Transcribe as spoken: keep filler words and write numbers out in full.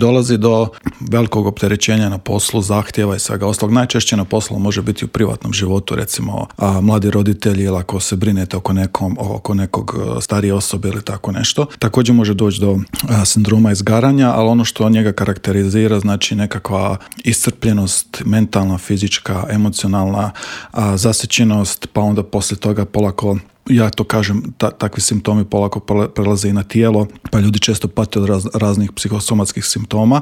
Dolazi do velikog opterećenja na poslu, zahtjeva i svega ostalog. Najčešće na poslu može biti u privatnom životu, recimo a, mladi roditelji ili ako se brinete oko, nekom, oko nekog starije osobe ili tako nešto. Također može doći do a, sindroma izgaranja, ali ono što njega karakterizira znači nekakva iscrpljenost, mentalna, fizička, emocionalna, a, zasićenost, pa onda poslije toga polako, ja to kažem, ta, takvi simptomi polako prelaze i na tijelo, pa ljudi često pate od raz, raznih psihosomatskih simptoma.